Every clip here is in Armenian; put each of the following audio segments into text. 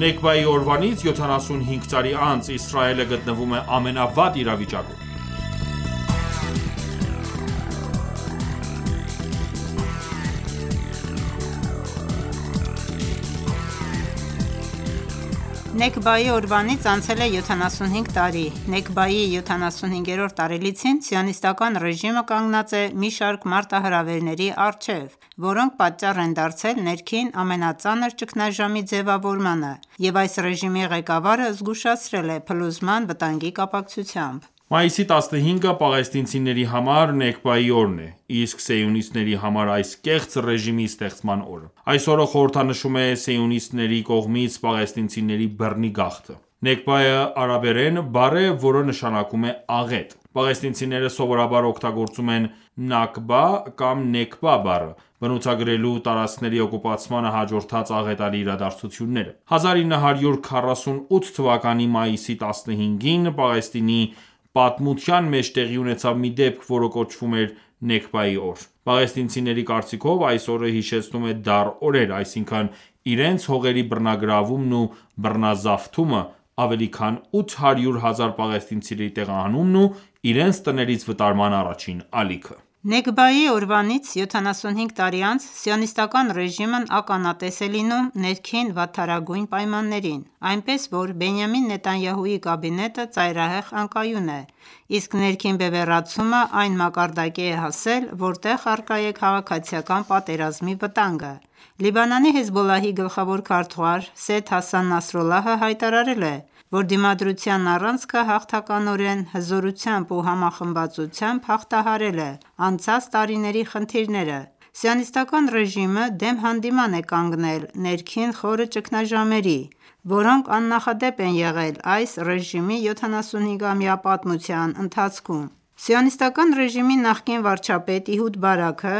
Նեքբայի օրվանից 75 տարի անց Իսրայելը գտնվում է ամենավատ իրավիճակում։ Նեքբայի օրվանից անցել է 75 տարի։ Նեքբայի 75-րդ տարելիցին Սիոնիստական ռեժիմը կանգնած է մի շարք մարտահրավերների առջև, որոնք պատճառ են դարձել ներքին ամենածանր ճգնաժամի ձևավորմանը, և այս ռեժիմի ղեկավարը զգուշացրել է փլուզման վտանգի կապակցությամբ։ Մայիսի 15-ը պաղեստինցիների համար Նեքբայի օրն է, իսկ սիոնիստների համար այս կեղծ ռեժիմի ստեղծման օրը։ Այս օրը խորհրդանշում է սիոնիստների կողմից պաղեստինցիների բռնի գաղթը։ Նեքբայը արաբերեն բառ է, որը նշանակում է աղետ։ Պաղեստինցիները սովորաբար օգտագործում են Նաքբա կամ Նեքբա բառը, բնութագրելու տարածքների օկուպացմանը հաջորդած աղետալի իրադարձությունները։ 1948 թվականի մայիսի 15-ին Պաղեստինի պատմության մեջ տեղի ունեցավ մի դեպք, որը կոչվում էր Նեքբայի օր։ Պաղեստինցիների կարծիքով այս օրը հիշեցնում է դառ օրեր, այսինքն իրենց հողերի բռնագրավումն ու բռնազավթումը, ավելի քան 800,000 պաղեստինցիների տեղահանումն ու իրենց տներից վտարման առաջին ալիքը։ Նեքբայի օրվանից 75 տարի անց Սիոնիստական ռեժիմն ականատես է լինում ներքին վատթարագույն պայմաններին, այնպես որ Բենյամին Նեթանյահուի կաբինետը ծայրահեղ անկայուն է, իսկ ներքին բևեռացումը այն մակարդակի է հասել, որտեղ առկա է քաղաքացիական պատերազմի վտանգը։ Լիբանանի Հեզբոլլահի գլխավոր քարտուղար Սեյյեդ Հասան Նասրալլահը հայտարարել է, որ Դիմադրության առանցքը հաղթականորեն, հզորությամբ ու համախմբվածությամբ հաղթահարել է անցած տարիների խնդիրները։ Սիոնիստական ռեժիմը դեմ հանդիման է կանգնել ներքին խորը ճգնաժամերի, որոնք աննախադեպ են եղել այս ռեժիմի 75-ամյա պատմության ընթացքում։ Սիոնիստական ռեժիմի նախկին վարչապետ Իհուդ Բարաքը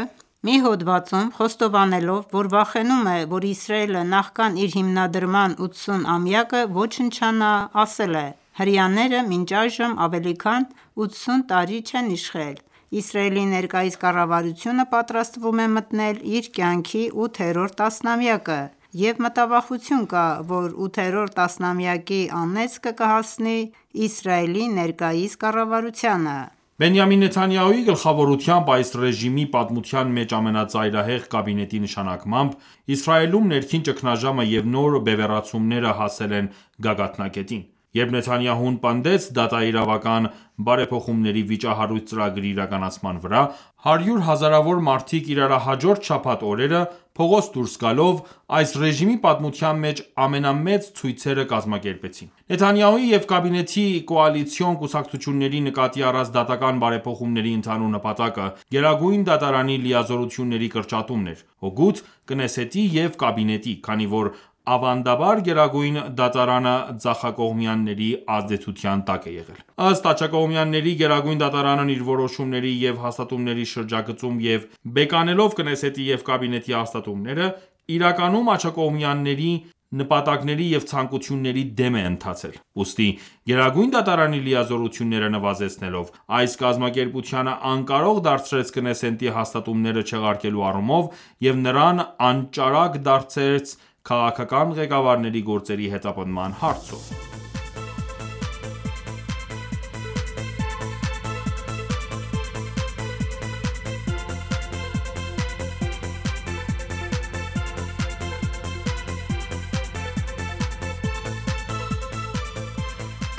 մի հոդվածում, խոստովանելով, որ վախենում է, որ Իսրայելը նախքան իր հիմնադրման 80-ամյակը ոչնչանա, ասել է. «Հրեաները մինչ այժմ ավելի քան 80 տարի չեն իշխել։ Իսրայելի ներկայիս կառավարությունը պատրաստվում է մտնել իր կյանքի 8-րդ տասնամյակը, և մտավախություն կա, որ 8-րդ տասնամյակի անեծքը կհասնի Իսրայելի ներկայիս կառավարությանը»։ Բենյամին Նեթանյահուի գլխավորությամբ այս ռեժիմի պատմության մեջ ամենածայրահեղ կաբինետի նշանակմամբ Իսրայելում ներքին ճգնաժամը և նոր բևեռացումները հասել են գագաթնակետին։ Երբ Նեթանյահուն պնդեց դատաիրավական բարեփոխումների վիճահարույց ծրագրի իրականացման վրա, հարյուր հազարավոր մարդիկ իրարահաջորդ շաբաթ օրերը փողոց դուրս գալով այս ռեժիմի պատմության մեջ ամենամեծ ցույցերը կազմակերպեցին։ Նեթանյահուի և կաբինետի կոալիցիոն կուսակցությունների նկատի առած դատական բարեփոխումների ընդհանուր նպատակը Գերագույն դատարանի լիազորությունների կրճատումն էր՝ հօգուտ Կնեսետի և կաբինետի, քանի որ ավանդաբար Գերագույն դատարանը ձախակողմյանների ազդեցության տակ է եղել։ Ըստ աջակողմյանների՝ Գերագույն դատարանն իր որոշումների և հաստատումների շրջագծում և բեկանելով Կնեսետի և կաբինետի հաստատումները, իրականում աջակողմյանների նպատակների և ցանկությունների դեմ է ընթացել։ Ուստի Գերագույն դատարանի լիազորությունները նվազեցնելով, այս կազմակերպությանը անկարող դարձրեց Կնեսետի հաստատումները չեղարկելու առումով և նրան անճարակ դարձրեց քաղաքական ղեկավարների գործերի հետապնդման հարցով։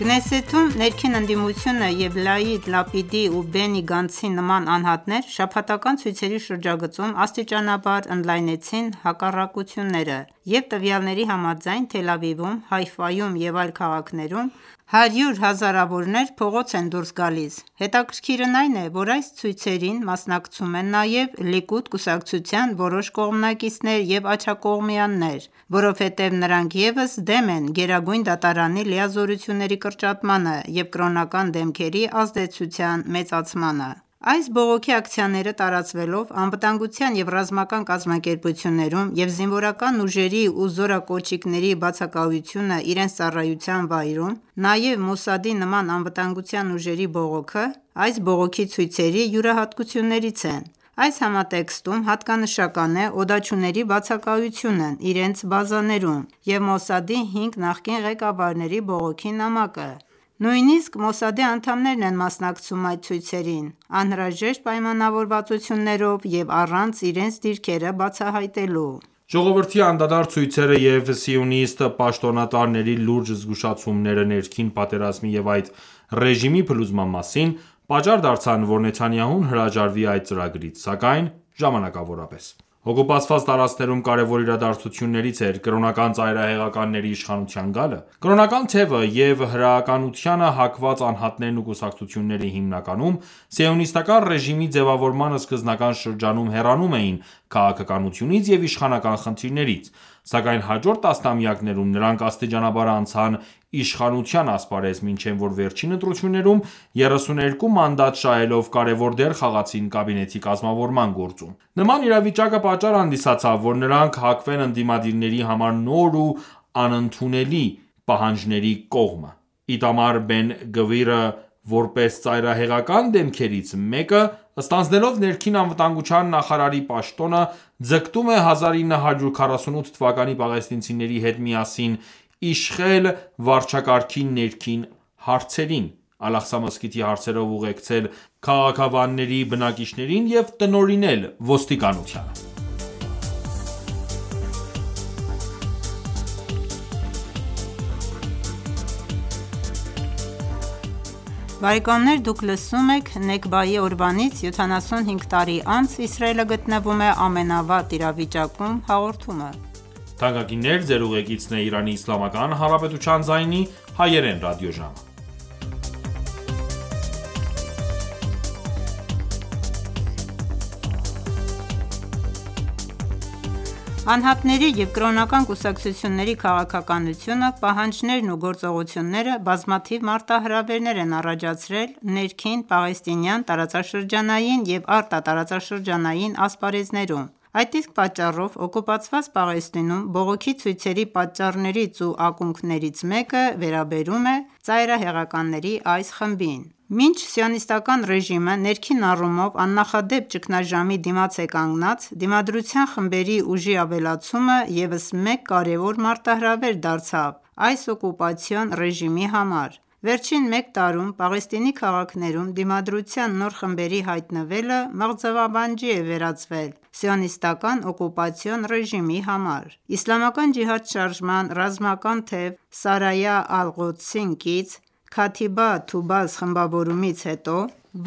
Կնեսեթում ներքին ընդդիմությունը և Յայիր Լապիդի ու Բենի Գանցի նման անհատներ շաբաթական ցույցերի շրջագծում աստիճանաբար ընդլայնեցին հակառակությունները, և տվյալների համաձայն Թել Ավիվում, Հայֆայում և այլ քաղաքներում հարյուր հազարավորներ փողոց են դուրս գալիս։ Հետաքրքիրն այն է, որ այս ցույցերին մասնակցում են նաև Լիկուդ կուսակցության որոշ կողմնակիցներ և աջակողմյաններ, որովհետև նրանք ևս դեմ են Գերագույն դատարանի լիազորությունների կրճատմանը և կրոնական դեմքերի ազդեցության մեծացմանը։ Այս բողոքի ակցիաները տարածվելով անվտանգության և ռազմական կազմակերպություններում և զինվորական ուժերի ու զորակոչիկների բացակայությունը իրենց ծառայության վայրում, նաև Մոսադի նման անվտանգության ուժերի բողոքը այս բողոքի ցույցերի յուրահատկություններից են։ Այս համատեքստում հատկանշական է օդաչուների բացակայությունն իրենց բազաներում և Մոսադի 5 նախկին ղեկավարների բողոքի նամակը: Նույնիսկ Մոսադի անդամներն են մասնակցում այդ ցույցերին՝ անհրաժեշտ պայմանավորվածություններով և առանց իրենց դիրքերը բացահայտելու: Ժողովրդի անդադար ցույցերը և սիոնիստ պաշտոնատարների լուրջ զգուշացումները ներքին պատերազմի և այդ ռեժիմի փլուզման մասին, պատճառ դարձան, որ Նեթանյահուն հրաժարվի այդ ծրագրից, սակայն ժամանակավորապես: Օկուպացված տարածքներում կարևոր իրադարձություններից էր կրոնական ծայրահեղականների իշխանության գալը: Կրոնական թևը և հրեականությանը հակված անհատներն ու կուսակցությունները հիմնականում սիոնիստական ռեժիմի ձևավորման սկզբնական շրջանում հեռանում էին քաղաքականությունից և իշխանական խնդիրներից, սակայն հաջորդ տասնամյակներում նրանք աստիճանաբար անցան իշխանության ասպարեզ, մինչև որ վերջին ընտրություններում 32 մանդատ շահելով կարևոր դեր խաղացին կաբինետի կազմավորման գործում: Նման իրավիճակը պատճառ հանդիսացավ, որ նրանք հակվեն ընդդիմադիրների համար նոր ու անընդունելի պահանջների կողմը: Իտամար Բեն-Գվիրը, որպես ծայրահեղական դեմքերից մեկը, ստանձնելով ներքին անվտանգության նախարարի պաշտոնը, ձգտում է 1948 թվականի պաղեստինցիների հետ միասին իշխել վարչակարգի ներքին հարցերին, Ալ-Աղսա մզկիթի հարցերով ուղեկցել քաղաքավանների բնակիչներին և տնօրինել ոստիկանությանը: Նեքբայի օրվանից 75 տարի անց Իսրայելը գտնվում է ամենավատ իրավիճակում հաղորդումը: Անհատների և կրոնական կուսակցությունների քաղաքականությունը, պահանջներն ու գործողությունները բազմաթիվ մարտահրավերներ են առաջացրել ներքին պաղեստինյան տարածաշրջանային և արտատարածաշրջանային ասպարեզներում: Այդ իսկ պատճառով օկուպացված Պաղեստինում բողոքի ցույցերի պատճառներից ու ակունքներից մեկը վերաբերում է ծայրահեղականների այս խմբին: Մինչ Սիոնիստական ռեժիմը ներքին առումով աննախադեպ ճգնաժամի դիմաց է կանգնած, Դիմադրության խմբերի ուժի ավելացումը ևս մեկ կարևոր մարտահրավեր դարձավ այս օկուպացիոն ռեժիմի համար: Վերջին մեկ տարում Պաղեստինի քաղաքներում Դիմադրության նոր խմբերի հայտնվելը մղձավանջի է վերածվել Սիոնիստական օկուպացիոն ռեժիմի համար: Իսլամական ջիհադ շարժման ռազմական թև Սարայա Ալ-Ղոդսին կից Քաթիբա Թուբաս խմբավորումից հետո,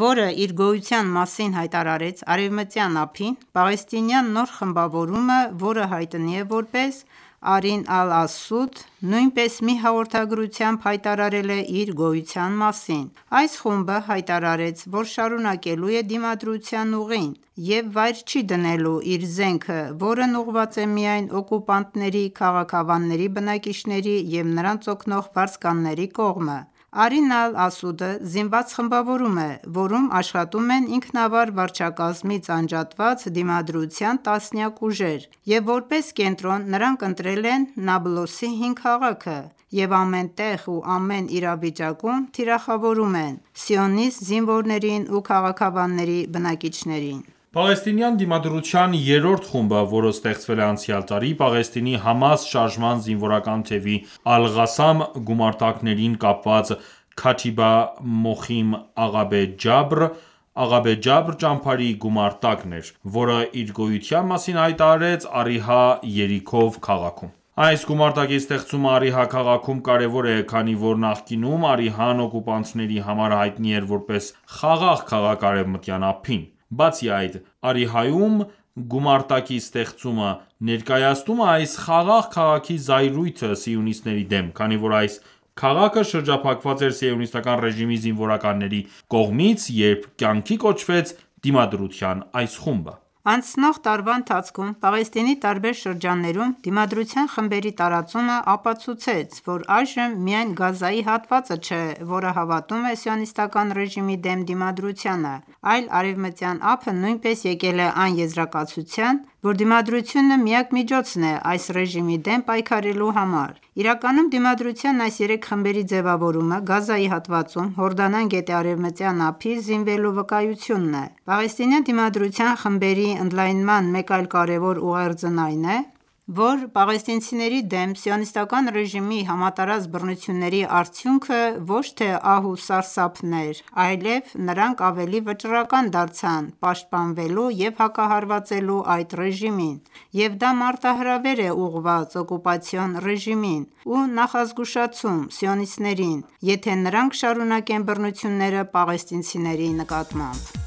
որը իր գոյության մասին հայտարարեց արևմտյան ափին, պաղեստինյան նոր խմբավորումը, որը հայտնի է որպես Արին Ալ-Ասուդ, նույնպես մի հաղորդագրությամբ հայտարարել է իր գոյության մասին: Այս խումբը հայտարարեց, որ շարունակելու է դիմադրության ուղին և վայր չի դնելու իր զենքը, որն ուղղված է միայն օկուպանտների քաղաքավանների բնակիչների և նրանց օգնող վարձկանների կողմը: Արին Ալ-Ասուդը զինված խմբավորում է, որում աշխատում են ինքնավար վարչակազմից անջատված Դիմադրության տասնյակ ուժեր և որպես կենտրոն նրանք ընտրել են Նաբլուսի 5 քաղաքը և ամեն տեղ ու ամեն իրավիճակում թիրախավորում են սիոնիստ զինվորներին ու քաղաքավանների բնակիչներին: Պաղեստինյան Դիմադրության երրորդ խումբը, որը ստեղծվել է անցյալ տարի, Պաղեստինի Համաս շարժման զինվորական թևի Ալ-Ղասամ գումարտակներին կապված Քաթիբա Մոխիմ Աղաբե Ջաբր ճամբարի գումարտակն էր, որը իր գոյության մասին հայտարարեց Արիհա Երիքով քաղաքում: Այս գումարտակի ստեղծումը Արիհա քաղաքում կարևոր է, քանի որ նախկինում Արիհան օկուպանտների համար հայտնի էր որպես խաղաղ քաղաք Արևմտյան ափին: Բացի այդ, Արիհայում գումարտակի ստեղծումը ներկայացնում է այս խաղաղ քաղաքի զայրույթը սիոնիստների դեմ, քանի որ այս քաղաքը շրջափակված էր սիոնիստական ռեժիմի զինվորականների կողմից, երբ կյանքի կոչվեց Դիմադրության այս խումբը: Անցնող տարվա ընթացքում Պաղեստինի տարբեր շրջաններում Դիմադրության խմբերի տարածումը ապացուցեց, որ այժմ միայն Գազայի հատվածը չէ, որը հավատում է Սիոնիստական ռեժիմի դեմ դիմադրությանը, այլ Արևմտյան ափը նույնպես եկել է այն եզրակացության, որ Դիմադրությունը միակ միջոցն է այս ռեժիմի դեմ պայքարելու համար: Իրականում դիմադրության այս երեք խմբերի ձևավորումը Գազայի հատվածում Հորդանան գետի արևմտյան ափից զինվելու վկայությունն է: Պաղեստինյան դիմադրության խմբերի ընդլայնման մեկ այլ կարևոր ուղերձն այն է, որ պաղեստինցիների դեմ Սիոնիստական ռեժիմի համատարած բռնությունների արդյունքը ոչ թե ահ ու սարսափն էր, այլև նրանք ավելի վճռական դարձան պաշտպանվելու և հակահարվածելու այդ ռեժիմին, և դա մարտահրավեր է ուղղված օկուպացիոն ռեժիմին ու նախազգուշացում սիոնիստներին, եթե նրանք շարունակեն բռնությունները պաղեստինցիների նկատմամբ: